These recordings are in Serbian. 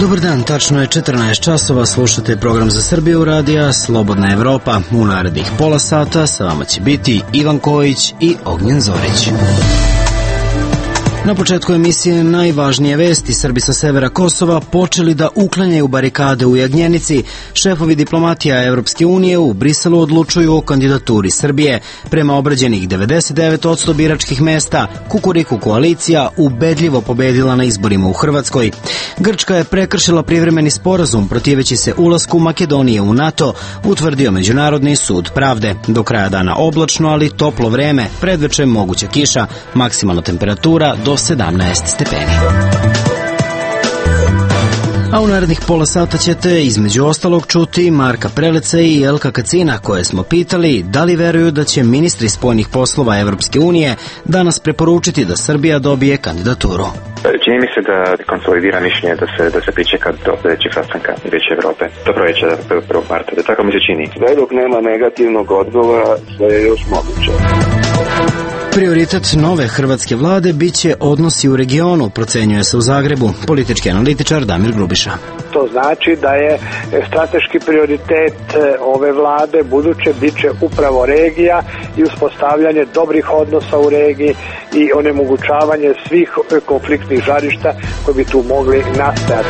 Dobar dan, tačno je 14 časova, slušate program za Srbiju radija Slobodna Evropa. U narednih pola sata sa vama će biti Ivan Kojić i Ognjen Zorić. Na početku emisije najvažnije vesti. Srbi sa severa Kosova počeli da uklanjaju barikade u Jagnjenici. Šefovi diplomatija Evropske unije u Briselu odlučuju o kandidaturi Srbije. Prema obrađenih 99% biračkih mesta, Kukuriku koalicija ubedljivo pobedila na izborima u Hrvatskoj. Grčka je prekršila privremeni sporazum protiveći se ulasku Makedonije u NATO, utvrdio Međunarodni sud pravde. Do kraja dana oblačno, ali toplo vreme, predveče moguća kiša, maksimalna temperatura do 17 stepeni. A u narednih pola sata ćete između ostalog čuti Marka Preleca i Elka Kacina, koje smo pitali da li veruju da će ministri spoljnih poslova Evropske unije danas preporučiti da Srbija dobije kandidaturu. Čini mi se da konsolidira mišljenje da se pričeka do sljedećeg sastanka Vijeća Evrope. Do proljeća 1. marta, da tako mi se čini. Sve dok nema negativnog odgovora, sve je još moguće. Prioritet nove hrvatske vlade biće odnosi u regionu, procenjuje se u Zagrebu politički analitičar Damir Grubiša. To znači da je strateški prioritet ove vlade buduće biće upravo regija i uspostavljanje dobrih odnosa u regiji i onemogućavanje svih konfliktnih žarišta koji bi tu mogli nastajati.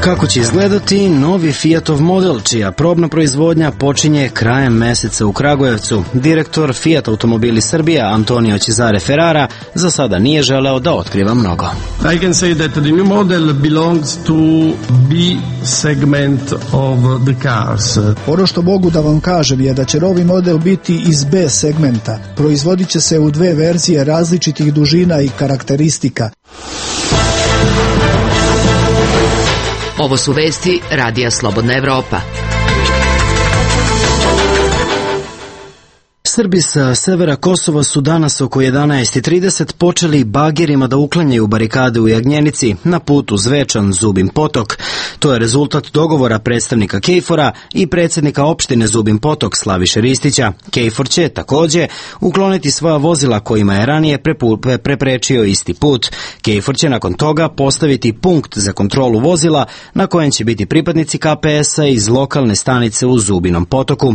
Kako će izgledati novi Fiatov model, čija probna proizvodnja počinje krajem meseca u Kragujevcu? Direktor Fiat Automobili Srbija Antonio Cesare Ferrara za sada nije želeo da otkriva mnogo. I can say that the new model belongs to B segment of the cars. Ono što mogu da vam kažem je da će novi model biti iz B segmenta. Proizvodit će se u dve verzije različitih dužina i karakteristika. Ovo su vesti Radija Slobodna Evropa. Srbi sa severa Kosova su danas oko 11:30 počeli bagerima da uklanjaju barikade u Jagnjenici na putu Zvečan-Zubin Potok. To je rezultat dogovora predstavnika KFOR-a i predsjednika opštine Zubin Potok Slaviše Ristića. KFOR će takođe ukloniti svoja vozila kojima je ranije preprečio isti put. KFOR će nakon toga postaviti punkt za kontrolu vozila na kojem će biti pripadnici KPS-a iz lokalne stanice u Zubinom Potoku.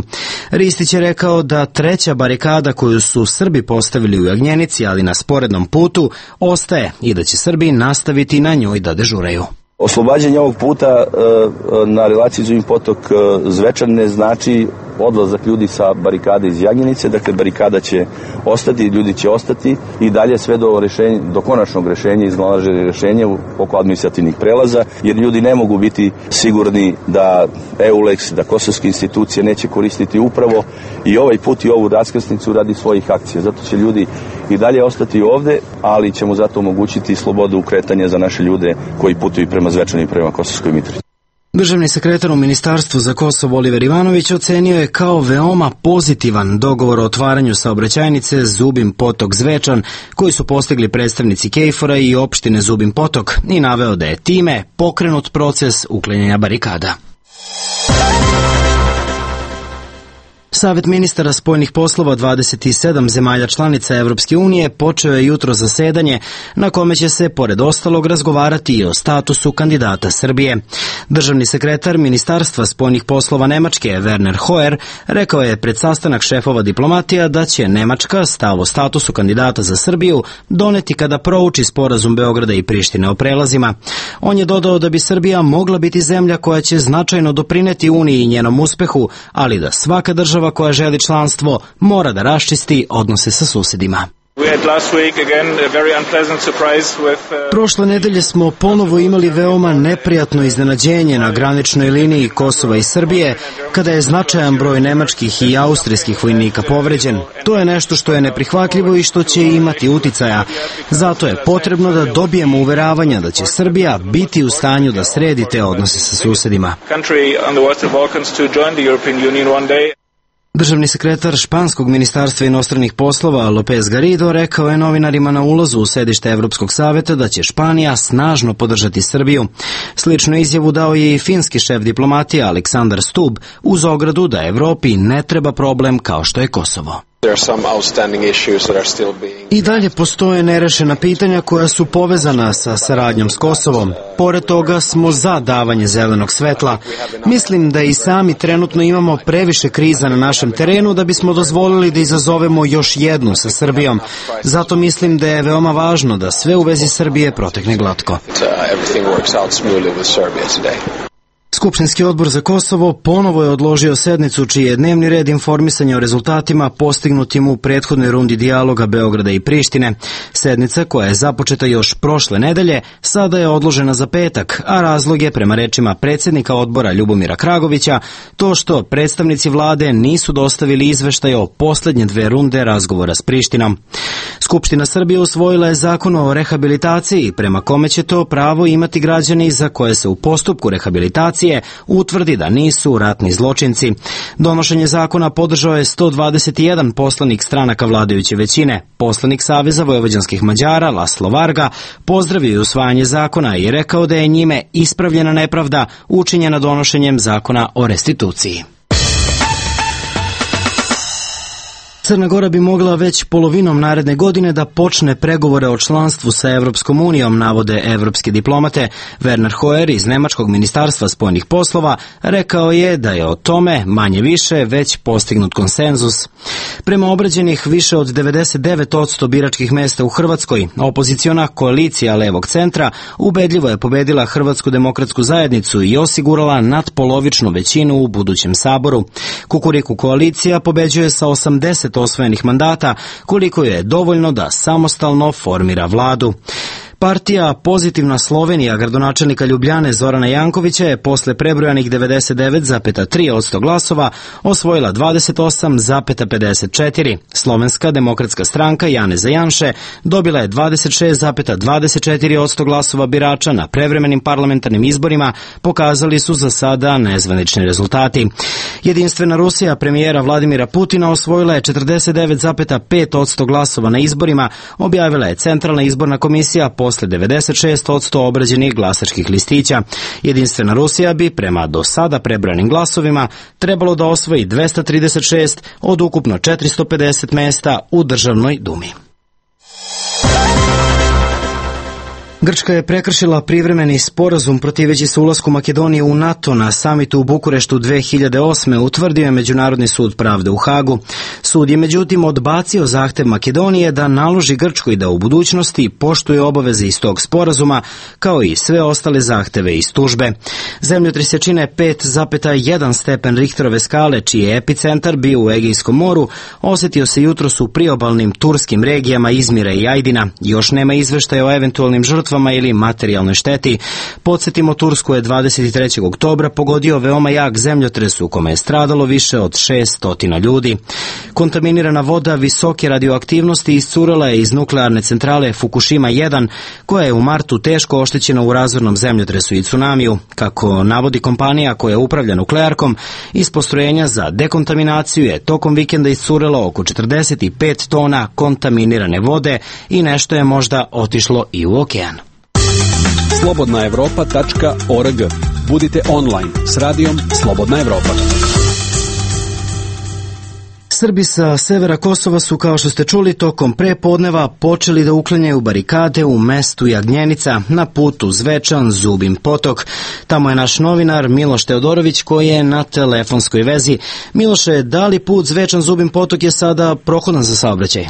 Ristić je rekao da treća barikada koju su Srbi postavili u Jagnjenici, ali na sporednom putu, ostaje i da će Srbi nastaviti na njoj da dežuraju. Oslobađanje ovog puta na relaciji Zubin Potok Zvečan ne znači odlazak ljudi sa barikade iz Jagnjenice, dakle barikada će ostati, ljudi će ostati i dalje sve do konačnog rešenja, iznalaženja rešenja oko administrativnih prelaza, jer ljudi ne mogu biti sigurni da EULEX, da kosovske institucije neće koristiti upravo i ovaj put i ovu raskrsnicu radi svojih akcija. Zato će ljudi i dalje ostati ovde, ali ćemo zato omogućiti slobodu kretanja za naše ljude koji putuju prema Zvečanu i prema Kosovskoj Mitrovici. Državni sekretar u Ministarstvu za Kosovo Oliver Ivanović ocenio je kao veoma pozitivan dogovor o otvaranju saobraćajnice Zubin Potok Zvečan koji su postigli predstavnici KFOR-a i opštine Zubin Potok i naveo da je time pokrenut proces uklanjanja barikada. Savet ministara spoljnih poslova 27 zemalja članica Evropske unije počeo je jutro zasedanje na kome će se, pored ostalog, razgovarati i o statusu kandidata Srbije. Državni sekretar Ministarstva spoljnih poslova Nemačke, Werner Hoyer, rekao je pred sastanak šefova diplomatija da će Nemačka stav o statusu kandidata za Srbiju doneti kada prouči sporazum Beograda i Prištine o prelazima. On je dodao da bi Srbija mogla biti zemlja koja će značajno doprineti Uniji i njenom uspehu, ali da svaka država koja želi članstvo mora da raščisti odnose sa susedima. Prošle nedelje smo ponovo imali veoma neprijatno iznenađenje na graničnoj liniji Kosova i Srbije, kada je značajan broj nemačkih i austrijskih vojnika povređen. To je nešto što je neprihvatljivo i što će imati uticaja. Zato je potrebno da dobijemo uveravanja da će Srbija biti u stanju da sredi te odnose sa susedima. Državni sekretar španskog ministarstva inostranih poslova López Garrido rekao je novinarima na ulazu u sedište Evropskog saveta da će Španija snažno podržati Srbiju. Sličnu izjavu dao je i finski šef diplomatije Aleksandar Stubb uz ogradu da Evropi ne treba problem kao što je Kosovo. I dalje postoje nerešena pitanja koja su povezana sa saradnjom s Kosovom. Pored toga smo za davanje zelenog svetla. Mislim da i sami trenutno imamo previše kriza na našem terenu da bismo dozvolili da izazovemo još jednu sa Srbijom. Zato mislim da je veoma važno da sve u vezi Srbije protekne glatko. Skupštinski odbor za Kosovo ponovo je odložio sednicu čiji je dnevni red informisanja o rezultatima postignutim u prethodnoj rundi dijaloga Beograda i Prištine. Sednica, koja je započeta još prošle nedelje, sada je odložena za petak, a razlog je, prema rečima predsjednika odbora Ljubomira Kragovića, to što predstavnici vlade nisu dostavili izveštaj o poslednje dve runde razgovora s Prištinom. Skupština Srbije usvojila je zakon o rehabilitaciji, prema kome će to pravo imati građani za koje se u postupku rehabilitacije utvrdi da nisu ratni zločinci. Donošenje zakona podržao je 121 poslanik stranaka vladajuće većine. Poslanik Saveza vojvođanskih Mađara, Laslo Varga, pozdravio je usvajanje zakona i rekao da je njime ispravljena nepravda učinjena donošenjem zakona o restituciji. Crna Gora bi mogla već polovinom naredne godine da počne pregovore o članstvu sa Evropskom unijom, navode evropski diplomate. Werner Hoyer iz Nemačkog ministarstva spoljnih poslova rekao je da je o tome manje više već postignut konsenzus. Prema obrađenih više od 99% biračkih mesta u Hrvatskoj, opoziciona koalicija levog centra ubedljivo je pobedila Hrvatsku demokratsku zajednicu i osigurala nadpolovičnu većinu u budućem saboru. Kukuriku koalicija pobeđuje sa 80 osvojenih mandata, koliko je dovoljno da samostalno formira vladu. Partija Pozitivna Slovenija gradonačelnika Ljubljane Zorana Jankovića je posle prebrojanih 99,3% glasova osvojila 28,54%. Slovenska demokratska stranka Janeza Janše dobila je 26,24% glasova birača na prevremenim parlamentarnim izborima, pokazali su za sada nezvanični rezultati. Jedinstvena Rusija premijera Vladimira Putina osvojila je 49,5% glasova na izborima, objavila je Centralna izborna komisija posle 96% obrađenih glasačkih listića. Jedinstvena Rusija bi, prema do sada prebrojanim glasovima, trebalo da osvoji 236 od ukupno 450 mesta u Državnoj dumi. Grčka je prekršila privremeni sporazum protiveći se ulasku Makedonije u NATO na samitu u Bukureštu 2008. utvrdio je Međunarodni sud pravde u Hagu. Sud je međutim odbacio zahtev Makedonije da naloži Grčkoj da u budućnosti poštuje obaveze iz tog sporazuma, kao i sve ostale zahteve iz tužbe. Zemljotres jačine 5,1 stepen Richterove skale, čiji je epicentar bio u Egejskom moru, osetio se jutros u priobalnim turskim regijama Izmira i Ajdina. Još nema izveštaja o eventualnim žrtvama ili materijalnoj šteti. Podsjetimo, Tursku je 23. oktobra pogodio veoma jak zemljotres u kome je stradalo više od 600 ljudi. Kontaminirana voda visoke radioaktivnosti iscurela je iz nuklearne centrale Fukushima 1, koja je u martu teško oštećena u razornom zemljotresu i tsunamiju. Kako navodi kompanija koja upravlja nuklearkom, iz postrojenja za dekontaminaciju je tokom vikenda iscurelo oko 45 tona kontaminirane vode i nešto je možda otišlo i u okean. slobodnaevropa.org. Budite online s radijom Slobodna Evropa. Srbi sa severa Kosova su, kao što ste čuli, tokom prepodneva počeli da uklanjaju barikade u mestu Jagnjenica na putu Zvečan, Zubin Potok. Tamo je naš novinar Miloš Teodorović koji je na telefonskoj vezi. Miloše, da li put Zvečan, Zubin Potok je sada prohodan za saobraćaj?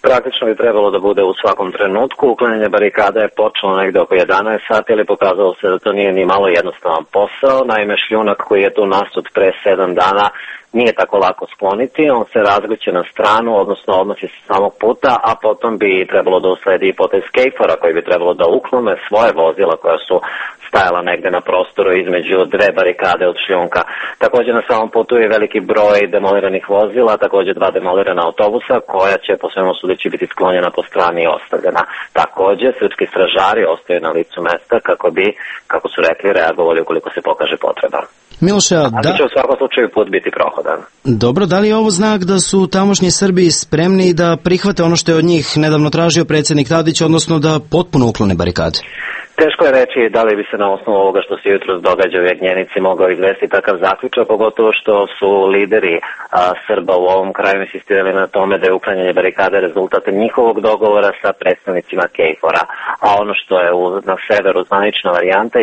Praktično bi trebalo da bude u svakom trenutku. Uklanjanje barikada je počelo negde oko 11 sati, ali pokazalo se da to nije ni malo jednostavan posao. Naime, šljunak koji je tu nasut pre 7 dana nije tako lako skloniti, on se razgrće na stranu, odnosno odnosi se samog puta, a potom bi trebalo da usledi i potez skejfora koji bi trebalo da uklone svoje vozila koja su stajala negde na prostoru između dve barikade od šljunka. Također na samom putu je veliki broj demoliranih vozila, također 2 demolirana autobusa koja će po svemu sudeći biti sklonjena po strani i ostavljena. Također srpski stražari ostaju na licu mesta kako bi, kako su rekli, reagovali ukoliko se pokaže potreba. Miloše, da će u svakom slučaju put biti prohodan. Dobro, da li je ovo znak da su tamošnji Srbi spremni da prihvate ono što je od njih nedavno tražio predsjednik Tadić, odnosno da potpuno uklone barikade? Teško je reći da li bi se na osnovu ovoga što se jutros događa u Jagnjenici mogao izvesti takav zaključak, pogotovo što su lideri Srba u ovom kraju insistirali na tome da je uklanjanje barikade rezultat njihovog dogovora sa predstavnicima KFOR-a. A ono što je na severu zvanična varijanta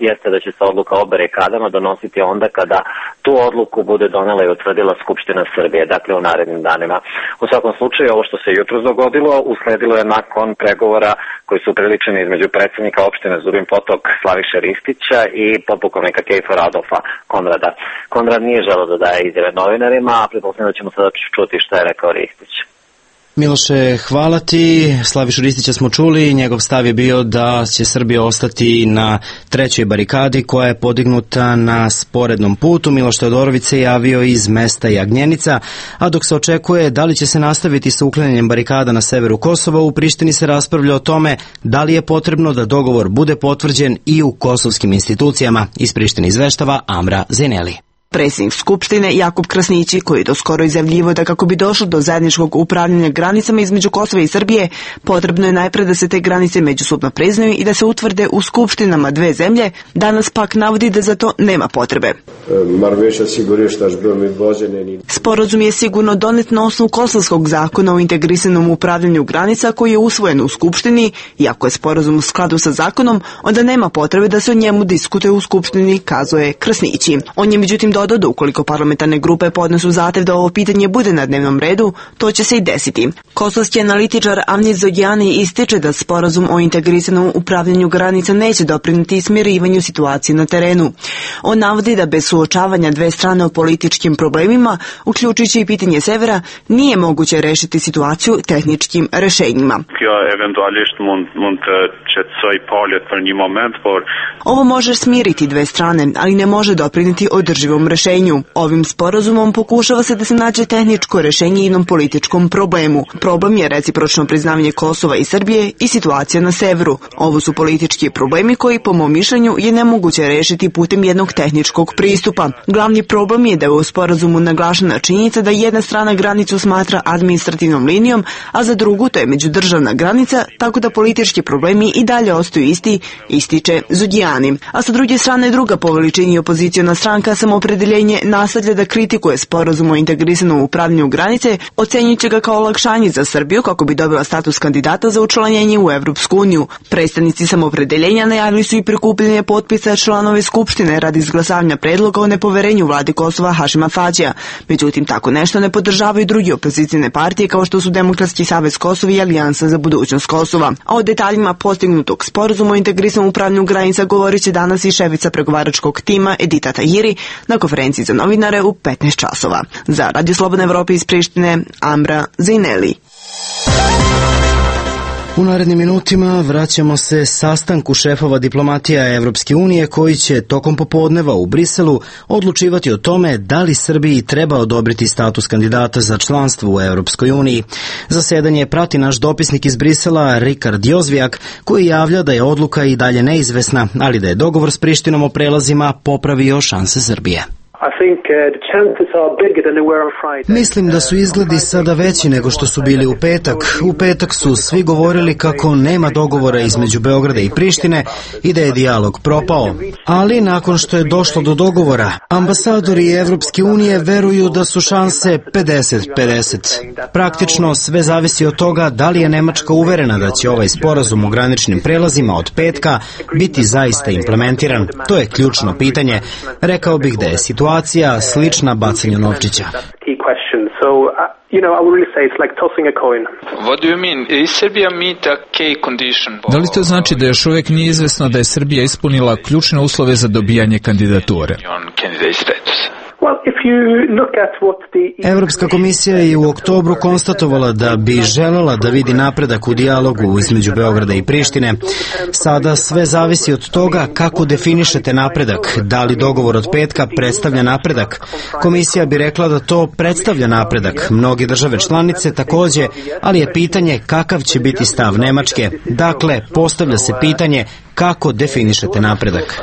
jeste da će se odluka o barikadama donositi onda kada tu odluku bude donela i utvrdila Skupština Srbije, dakle u narednim danima. U svakom slučaju, ovo što se jutros dogodilo usledilo je nakon pregovora koji su priličeni između predsednika opštine Zubin Potok Slaviše Ristića i podpukovnika KFOR Adolfa Konrada. Konrad nije želeo da daje izjave novinarima, a pretpostavljam da ćemo sada čuti šta je rekao Ristić. Miloše, hvala ti. Slavišu Ristića smo čuli, njegov stav je bio da će Srbija ostati na trećoj barikadi koja je podignuta na sporednom putu. Miloš Teodorović se javio iz mesta Jagnjenica, a dok se očekuje da li će se nastaviti sa uklanjanjem barikada na severu Kosova, u Prištini se raspravlja o tome da li je potrebno da dogovor bude potvrđen i u kosovskim institucijama. Iz Prištine izveštava Amra Zineli. Predsjednik Skupštine Jakub Krasnići, koji je doskoro izjavljivo da kako bi došlo do zajedničkog upravljanja granicama između Kosova i Srbije, potrebno je najpre da se te granice međusobno priznaju i da se utvrde u skupštinama dve zemlje, danas pak navodi da za to nema potrebe. Sporazum je sigurno donet na osnovu kosovskog zakona o integrisanom upravljanju granica koji je usvojen u Skupštini i ako je sporazum u skladu sa zakonom, onda nema potrebe da se o njemu diskutuje u Skupštini, kazuje Krasnići. On je međutim dodao da ukoliko parlamentarne grupe podnesu zahtev da ovo pitanje bude na dnevnom redu, to će se i desiti. Kosovski analitičar Avnit Zodjani ističe da sporazum o integrisanom upravljanju granica neće doprineti smirivanju situacije na terenu. On navodi da bez suočavanja dve strane o političkim problemima, uključujući i pitanje severa, nije moguće rešiti situaciju tehničkim rešenjima. Ovo može smiriti dve strane, ali ne može doprineti održivom rešenju. Ovim sporazumom pokušava se da se nađe tehničko rešenje jednom političkom problemu. Problem je recipročno priznavanje Kosova i Srbije i situacija na severu. Ovo su politički problemi koji, po mom mišljenju, je nemoguće rešiti putem jednog tehničkog pristupa. Glavni problem je da je u sporazumu naglašena činjenica da jedna strana granicu smatra administrativnom linijom, a za drugu to je međudržavna granica, tako da politički problemi i dalje ostaju isti, ističe Zudjani. A sa druge strane, druga po veličini opoziciona stranka Samoopredeljenje nastavlja da kritikuje sporazum o integrisanom upravljanju granice, ocenjujući ga kao olakšanje za Srbiju kako bi dobila status kandidata za učlanjenje u Evropsku uniju. Predstavnici Samoopredeljenja najavili su i prikupljanje potpisa članove Skupštine radi izglasavanja predloga o nepoverenju vladi Kosova Hašima Tačija. Međutim, tako nešto ne podržavaju drugi opozicijne partije kao što su Demokratski savez Kosova i Alijansa za budućnost Kosova. A o detaljima postignutog sporazuma o integrisanom upravljanju granica govorit će danas i šefica pregovaračkog tima Edita Tahiri na konferenciji za novinare u 15 časova. Za Radio Slobodna Evropa iz Prištine, Amra Zineli. U narednim minutima vraćamo se sastanku šefova diplomatija Evropske unije koji će tokom popodneva u Briselu odlučivati o tome da li Srbiji treba odobriti status kandidata za članstvo u Evropskoj uniji. Zasedanje prati naš dopisnik iz Brisela Rikard Jozvijak koji javlja da je odluka i dalje neizvesna, ali da je dogovor s Prištinom o prelazima popravio šanse Srbije. Mislim da su izgledi sada veći nego što su bili u petak. U petak su svi govorili kako nema dogovora između Beograda i Prištine i da je dijalog propao. Ali nakon što je došlo do dogovora, ambasadori Evropske unije veruju da su šanse 50-50. Praktično sve zavisi od toga da li je Nemačka uverena da će ovaj sporazum o graničnim prelazima od petka biti zaista implementiran. To je ključno pitanje. Rekao bih da je situacija slična bacanju novčića. Da li to znači da još uvijek nije izvesno da je Srbija ispunila ključne uslove za dobijanje kandidature? Evropska komisija je u oktobru konstatovala da bi želela da vidi napredak u dijalogu između Beograda i Prištine. Sada sve zavisi od toga kako definišete napredak. Da li dogovor od petka predstavlja napredak? Komisija bi rekla da to predstavlja napredak. Mnoge države članice takođe, ali je pitanje kakav će biti stav Nemačke. Dakle, postavlja se pitanje kako definišete napredak.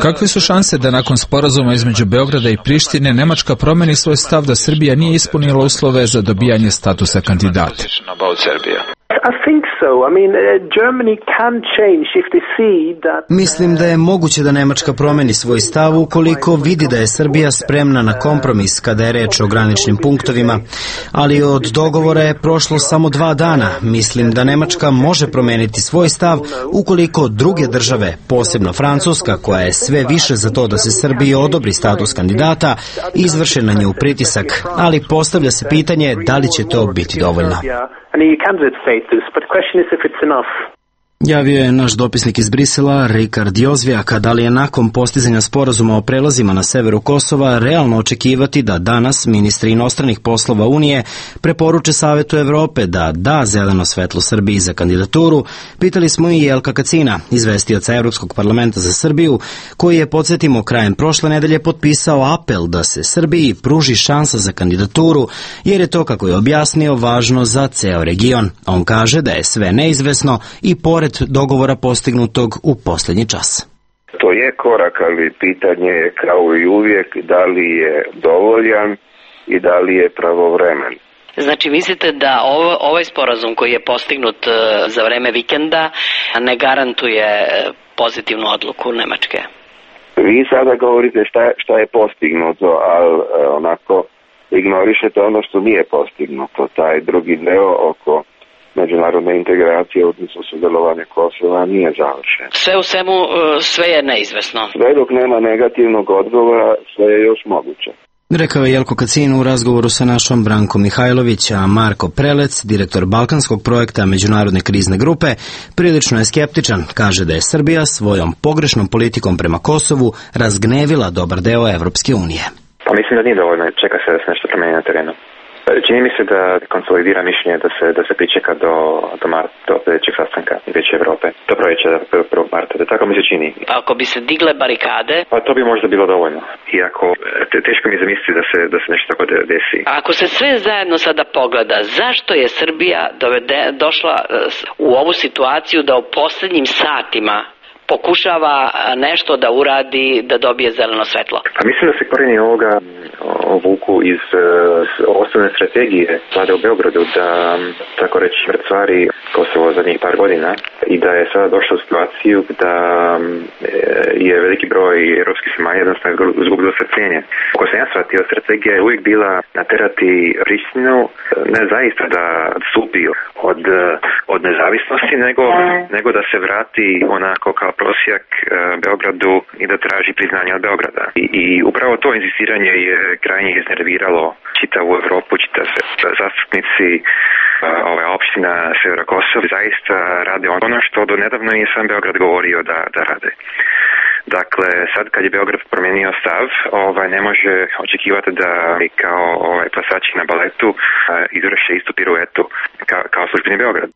Kakve su šanse da nakon sporazuma između Beograda i Prištine Nemačka promeni svoj stav da Srbija nije ispunila uslove za dobijanje statusa kandidata? Mislim da je moguće da Nemačka promeni svoj stav ukoliko vidi da je Srbija spremna na kompromis kada je reč o graničnim punktovima, ali od dogovora je prošlo samo 2 dana. Mislim da Nemačka može promeniti svoj stav ukoliko druge države, posebno Francuska, koja je sve više za to da se Srbiji odobri status kandidata, izvrše na nju pritisak, ali postavlja se pitanje da li će to biti dovoljno. Javio je naš dopisnik iz Brisela, Rikard Jozvijak, da li je nakon postizanja sporazuma o prelazima na severu Kosova realno očekivati da danas ministri inostranih poslova Unije preporuče Savetu Evrope da da zeleno svetlo Srbiji za kandidaturu. Pitali smo i Jelka Kacina, izvestioca Evropskog parlamenta za Srbiju, koji je, podsjetimo, krajem prošle nedelje potpisao apel da se Srbiji pruži šansa za kandidaturu, jer je to, kako je objasnio, važno za ceo region. On kaže da je sve neizvesno i pored dogovora postignutog u posljednji čas. To je korak, ali pitanje je kao i uvijek da li je dovoljan i da li je pravovremen. Znači, mislite da ovaj sporazum koji je postignut za vreme vikenda ne garantuje pozitivnu odluku Nemačke? Vi sada govorite šta je postignuto, ali onako ignorišete ono što nije postignuto. Taj drugi deo oko međunarodne integracije, odnosno sudjelovanja Kosova, nije završen. Sve u svemu, sve je neizvesno. Sve dok nema negativnog odgovora, sve je još moguće. Rekao je Jelko Kacin u razgovoru sa našom Brankom Mihajlović, a Marko Prelec, direktor balkanskog projekta Međunarodne krizne grupe, prilično je skeptičan. Kaže da je Srbija svojom pogrešnom politikom prema Kosovu razgnevila dobar deo Evropske unije. Pa mislim da nije dovoljno, čeka se da se nešto promeni na terenu. Čini mi se da konsolidira mišljenje da se pričeka do sljedećeg sastanka Vijeća Evrope. Do proljeća 1. marta, da tako mi se čini. Ako bi se digle barikade? Pa to bi možda bilo dovoljno. Iako teško mi zamisliti da se nešto tako desi. Ako se sve zajedno sada pogleda, zašto je Srbija došla u ovu situaciju da u posljednjim satima pokušava nešto da uradi, da dobije zeleno svetlo? Pa mislim da se korijeni ovoga vuku iz osnovne strategije vlade u Beogradu da, tako reći, mrcvari Kosovo zadnjih par godina i da je sada došla u situaciju da je veliki broj europskih zemalja jednostavno izgubilo strpljenje. Ako sam ja shvatio, strategija je uvijek bila naterati Prištinu ne zaista da odstupi od nezavisnosti, nego da se vrati onako kao prosjak Beogradu i da traži priznanje od Beograda. I upravo to insistiranje je krajnje iznerviralo čitavu Evropu, zastupnici ove opština Severa Kosova zaista rade ono što do nedavno je sam Beograd govorio da rade. Dakle, sad kad je Beograd promijenio stav, ne može očekivati da kao plesači na baletu izvrše istu piruetu kao službeni Beograd.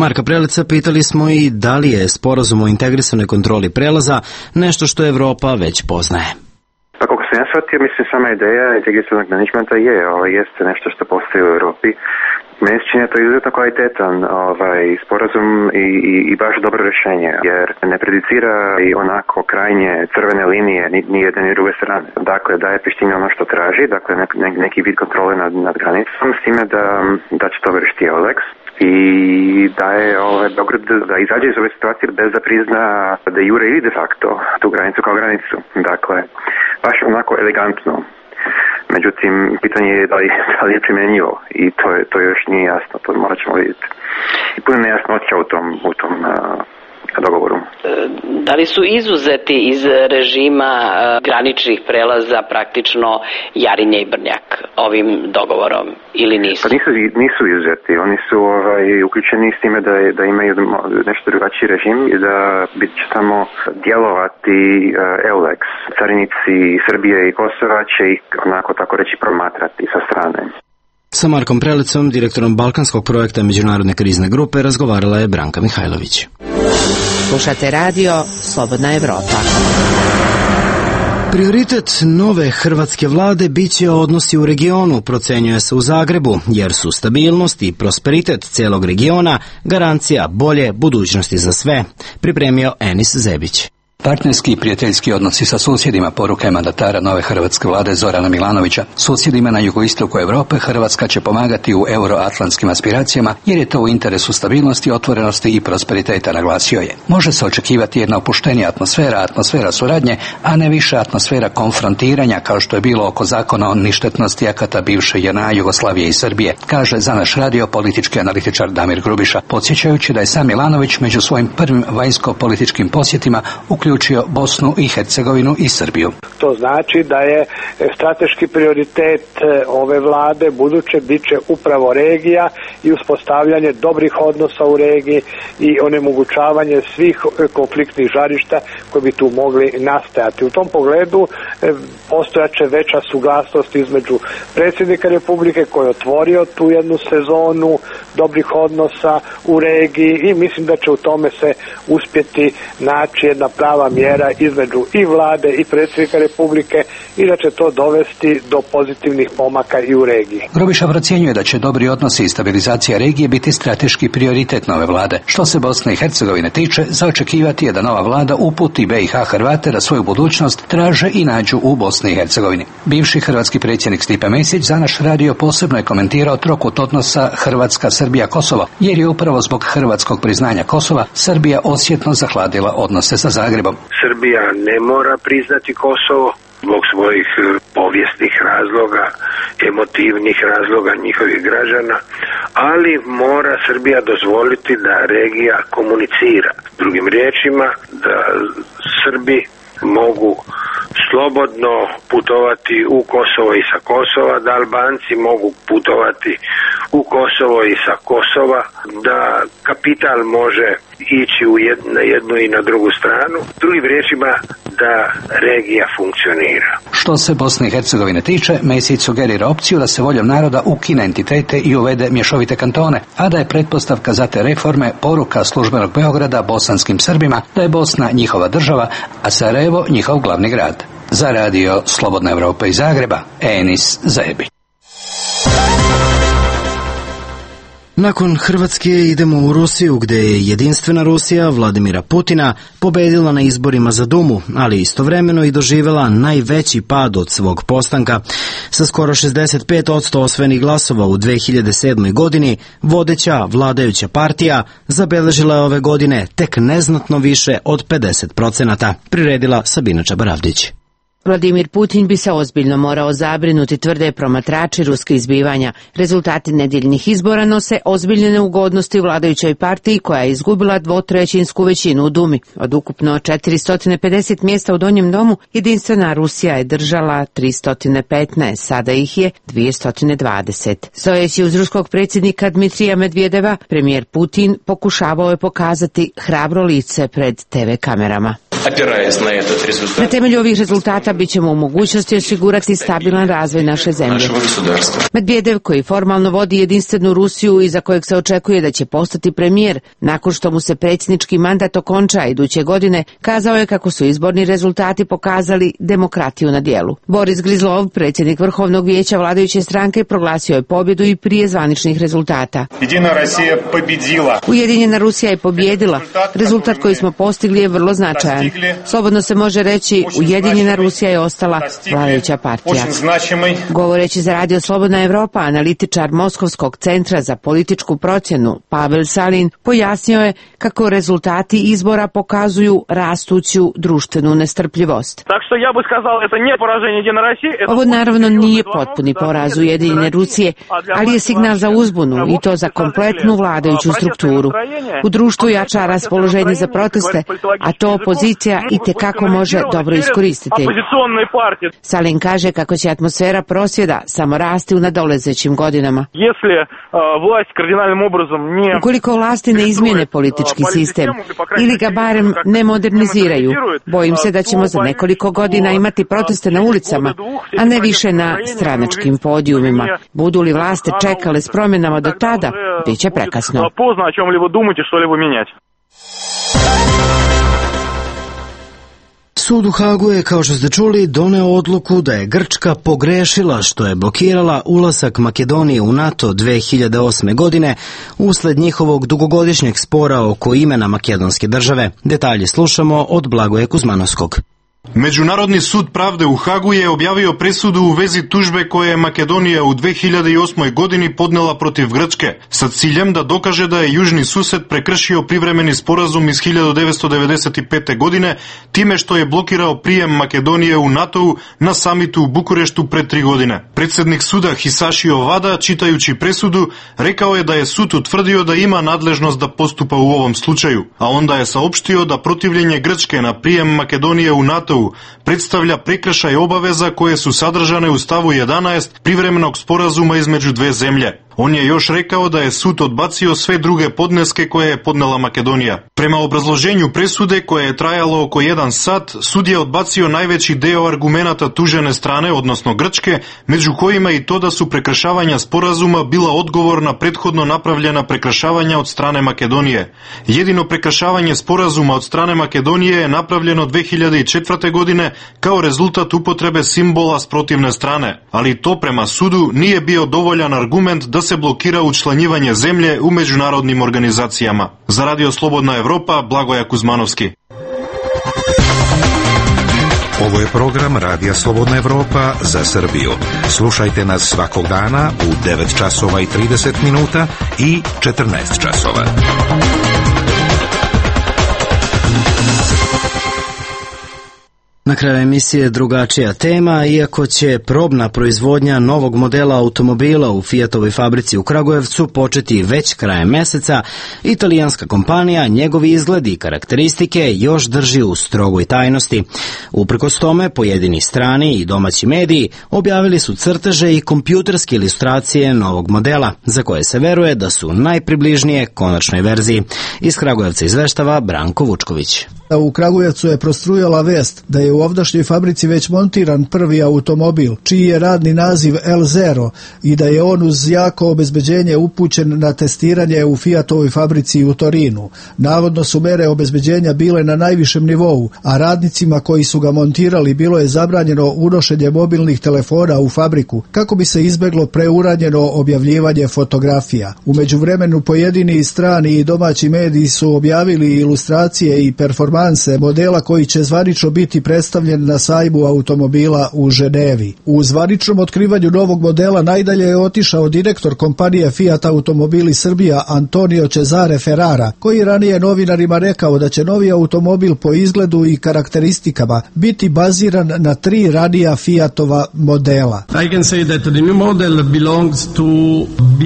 Marka Preleca pitali smo i da li je sporazum o integrisanoj kontroli prelaza nešto što Evropa već poznaje. Pa kako sam ja shvatio, mislim, sama ideja integrisanog menadžmenta jeste nešto što postoji u Europi. Meni se čini da to je izuzetno kvalitetan sporazum i baš dobro rješenje, jer ne predicira i onako krajnje crvene linije ni jedne ni druge strane. Dakle, daje Prištini ono što traži, dakle neki vid kontrole nad granicom, s time da će to vršiti EULEX i daje Beograd da izađe iz ove situacije bez da prizna de jure ili de facto tu granicu kao granicu. Dakle, baš onako elegantno. Međutim, pitanje je da li je primjenjivo i to još nije jasno, to morat ćemo vidjeti. I puno nejasnoća u tom dogovoru. Da li su izuzeti iz režima graničnih prelaza praktično Jarinje i Brnjak ovim dogovorom ili nisu? Pa nisu izuzeti, oni su uključeni s time da imaju nešto drugačiji režim i da će tamo djelovati EULEX. Carinici Srbije i Kosova će ih onako tako reći promatrati sa strane. Sa Markom Prelecom, direktorom balkanskog projekta Međunarodne krizne grupe, razgovarala je Branka Mihajlović. Slušate radio Slobodna Evropa. Prioritet nove hrvatske vlade biće odnosi u regionu, procenjuje se u Zagrebu, jer su stabilnost i prosperitet celog regiona garancija bolje budućnosti za sve, pripremio Enis Zebić. Partnerski i prijateljski odnosi sa susjedima, poruka je mandatara nove hrvatske vlade Zorana Milanovića. Susjedima na jugoistoku Europe Hrvatska će pomagati u euroatlantskim aspiracijama jer je to u interesu stabilnosti, otvorenosti i prosperiteta, naglasio je. Može se očekivati jedna opuštenija atmosfera suradnje, a ne više atmosfera konfrontiranja kao što je bilo oko zakona o ništetnosti akata bivše JNA, Jugoslavije i Srbije, kaže za naš radio politički analitičar Damir Grubiša, podsjećajući da je sam Milanović među svojim prvim vanjsko-političkim posjetima uključio Bosnu i Hercegovinu i Srbiju. To znači da je strateški prioritet ove vlade buduće biće upravo regija i uspostavljanje dobrih odnosa u regiji i onemogućavanje svih konfliktnih žarišta koji bi tu mogli nastajati. U tom pogledu postojaće veća suglasnost između predsjednika Republike koji je otvorio tu jednu sezonu dobrih odnosa u regiji i mislim da će u tome se uspjeti naći jedna prava mjera između i vlade i predsjednika Republike i da će to dovesti do pozitivnih pomaka i u regiji. Grubiša procjenjuje da će dobri odnosi i stabilizacija regije biti strateški prioritet nove vlade. Što se Bosne i Hercegovine tiče, za očekivati je da nova vlada uputi BiH Hrvate da svoju budućnost traže i nađu u Bosni i Hercegovini. Bivši hrvatski predsjednik Stipe Mesić za naš radio posebno je komentirao trokut odnosa Hrvatska, Srbija, Kosovo, jer je upravo zbog hrvatskog priznanja Kosova Srbija osjetno zahladila odnose sa Zagrebom. Srbija ne mora priznati Kosovo zbog svojih povijesnih razloga, emotivnih razloga njihovih građana, ali mora Srbija dozvoliti da regija komunicira. Drugim riječima, da Srbi mogu slobodno putovati u Kosovo i sa Kosova, da Albanci mogu putovati u Kosovo i sa Kosova, da kapital može ići na jednu i na drugu stranu. Drugim riječima, da regija funkcionira. Što se Bosne i Hercegovine tiče, Mesić sugerira opciju da se voljom naroda ukine entitete i uvede mješovite kantone, a da je pretpostavka za te reforme poruka službenog Beograda bosanskim Srbima da je Bosna njihova država, a Sarajevo njihov glavni grad. Za radio Slobodna Evropa iz Zagreba, Enis Zebić. Nakon Hrvatske idemo u Rusiju, gdje je jedinstvena Rusija Vladimira Putina pobedila na izborima za Dumu, ali istovremeno i doživjela najveći pad od svog postanka. Sa skoro 65% osvojenih glasova u 2007. godini, vodeća vladajuća partija zabeležila je ove godine tek neznatno više od 50%, priredila Sabina Čabaravdić. Vladimir Putin bi se ozbiljno morao zabrinuti, tvrde promatrači ruskih zbivanja. Rezultati nedjeljnih izbora nose ozbiljne neugodnosti u vladajućoj partiji koja je izgubila 2/3 većinu u Dumi. Od ukupno 450 mjesta u Donjem domu, jedinstvena Rusija je držala 315, sada ih je 220. Stojeći uz ruskog predsjednika Dmitrija Medvedeva, premijer Putin pokušavao je pokazati hrabro lice pred TV kamerama. Na temelju ovih rezultata bit ćemo u mogućnosti osigurati stabilan razvoj naše zemlje. Medvedev, koji formalno vodi jedinstvenu Rusiju i za kojeg se očekuje da će postati premijer nakon što mu se predsjednički mandat okonča iduće godine, kazao je kako su izborni rezultati pokazali demokratiju na djelu. Boris Grizlov, predsjednik Vrhovnog vijeća vladajuće stranke, proglasio je pobjedu i prije zvaničnih rezultata. Ujedinjena Rusija je pobjedila. Rezultat koji smo postigli je vrlo značajan. Slobodno se može reći, Ujedinjena Rusija je ostala vladajuća partija. Govoreći za radio Slobodna Evropa, analitičar Moskovskog centra za političku procjenu Pavel Salin pojasnio je kako rezultati izbora pokazuju rastuću društvenu nestrpljivost. Ovo naravno nije potpuni poraz Ujedinjene Rusije, ali je signal za uzbunu i to za kompletnu vladajuću strukturu. U društvu jača raspoloženje za proteste, a to opozicija i tekako može dobro iskoristiti. Salin kaže kako će atmosfera prosvjeda samo rasti u nadolezećim godinama. Ukoliko vlasti ne izmijene politički sistem ili ga barem ne moderniziraju, bojim se da ćemo za nekoliko godina imati proteste na ulicama, a ne više na stranačkim podijumima. Budu li vlasti čekale s promjenama do tada, bit će prekasno. Sud u Hagu je, kao što ste čuli, doneo odluku da je Grčka pogrešila što je blokirala ulazak Makedonije u NATO 2008. godine usled njihovog dugogodišnjeg spora oko imena makedonske države. Detalje slušamo od Blagoja Kuzmanovskog. Međunarodni sud pravde u Hagu je objavio presudu u vezi tužbe koje je Makedonija u 2008. godini podnela protiv Grčke, sa ciljem da dokaže da je južni sused prekršio privremeni sporazum iz 1995. godine time što je blokirao prijem Makedonije u NATO-u na samitu u Bukureštu pred 3 godine. Predsjednik suda Hisashi Ovada, čitajući presudu, rekao je da je sud utvrdio da ima nadležnost da postupa u ovom slučaju, a onda je saopštio da protivljenje Grčke na prijem Makedonije u NATO predstavlja prekršaj obaveza koje su sadržane u stavu 11 privremenog sporazuma između dve zemlje. On je još rekao da je sud odbacio sve druge podneske koje je podnela Makedonija. Prema obrazloženju presude, koje je trajalo oko 1 sat, sud je odbacio najveći deo argumenata tužene strane, odnosno Grčke, među kojima i to da su prekršavanja sporazuma bila odgovor na prethodno napravljena prekršavanja od strane Makedonije. Jedino prekršavanje sporazuma od strane Makedonije je napravljeno 2004. godine kao rezultat upotrebe simbola s protivne strane, ali to prema sudu nije bio dovoljan argument da se blokira učlanjivanje zemlje u međunarodnim organizacijama. Za Radio Slobodna Evropa, Blagoja Kuzmanovski. Ovo je program Radija Slobodna Evropa za Srbiju. Slušajte nas svakog dana u 9 časova i 30 minuta i 14 časova. Na kraju emisije drugačija tema, iako će probna proizvodnja novog modela automobila u Fiatovoj fabrici u Kragujevcu početi već krajem meseca, italijanska kompanija njegovi izgled i karakteristike još drži u strogoj tajnosti. Uprkos tome, pojedini strani i domaći mediji objavili su crteže i kompjuterske ilustracije novog modela, za koje se veruje da su najpribližnije konačnoj verziji. Iz Kragujevca izveštava Branko Vučković. U Kragujevcu je prostrujala vest da je u ovdašnjoj fabrici već montiran prvi automobil, čiji je radni naziv L0 i da je on uz jako obezbeđenje upućen na testiranje u Fiatovoj fabrici u Torinu. Navodno su mere obezbeđenja bile na najvišem nivou, a radnicima koji su ga montirali bilo je zabranjeno unošenje mobilnih telefona u fabriku kako bi se izbeglo preuranjeno objavljivanje fotografija. U međuvremenu pojedini strani i domaći mediji su objavili ilustracije i performanse modela koji će zvanično biti predstavljen na sajmu automobila u Ženevi. U zvaničnom otkrivanju novog modela najdalje je otišao direktor kompanije Fiat Automobili Srbija Antonio Cesare Ferrara, koji ranije novinarima rekao da će novi automobil po izgledu i karakteristikama biti baziran na 3 ranija Fiatova modela. I can say that the new model belongs to B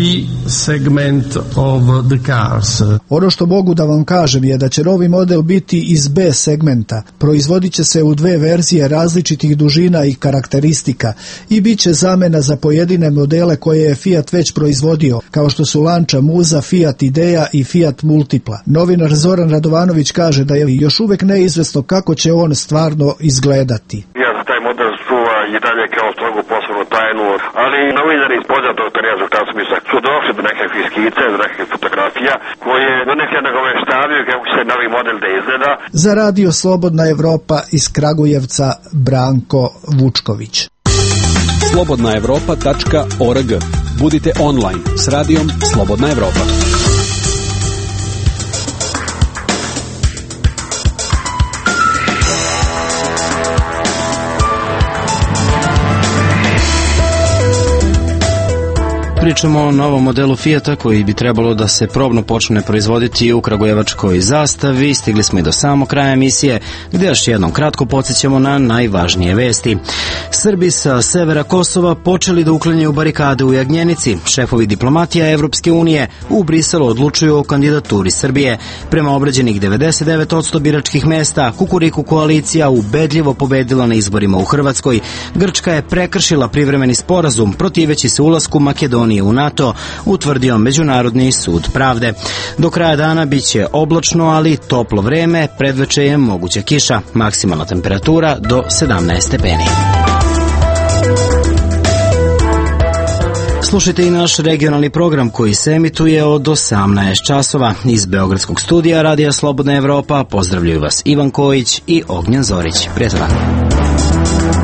segment of the cars. Ono što mogu da vam kažem je da će novi model biti iz B segmenta. Proizvodit će se u 2 verzije različitih dužina i karakteristika i bit će zamena za pojedine modele koje je Fiat već proizvodio, kao što su Lancia Musa, Fiat Idea i Fiat Multipla. Novinar Zoran Radovanović kaže da je još uvek neizvesno kako će on stvarno izgledati. Taj model čuva i dalje kao strogu poslovnu tajnu, ali novinari iz poznatog terena su došli do nekakvih skice, do nekakvih fotografija koje do neke nagoveštavaju kako će se novi model da izgleda. Za Radio Slobodna Evropa iz Kragujevca, Branko Vučković. slobodnaevropa.org. Budite online s radijom Slobodna Evropa. Pričamo o novom modelu Fiata koji bi trebalo da se probno počne proizvoditi u kragujevačkoj Zastavi. Stigli smo i do samog kraja emisije, gdje još jednom kratko podsjećamo na najvažnije vesti. Srbi sa severa Kosova počeli da uklanjaju barikade u Jagnjenici. Šefovi diplomatija Evropske unije u Briselu odlučuju o kandidaturi Srbije. Prema obrađenih 99% biračkih mesta, Kukuriku koalicija ubedljivo pobedila na izborima u Hrvatskoj. Grčka je prekršila privremeni sporazum protiveći se ulasku Makedonije u NATO, utvrdio Međunarodni sud pravde. Do kraja dana biće oblačno, ali toplo vreme, predveče je moguća kiša, maksimalna temperatura do 17 stepeni. Slušajte i naš regionalni program koji se emituje od 18 časova. Iz Beogradskog studija Radija Slobodna Evropa pozdravljaju vas Ivan Kojić i Ognjen Zorić. Prijatan dan.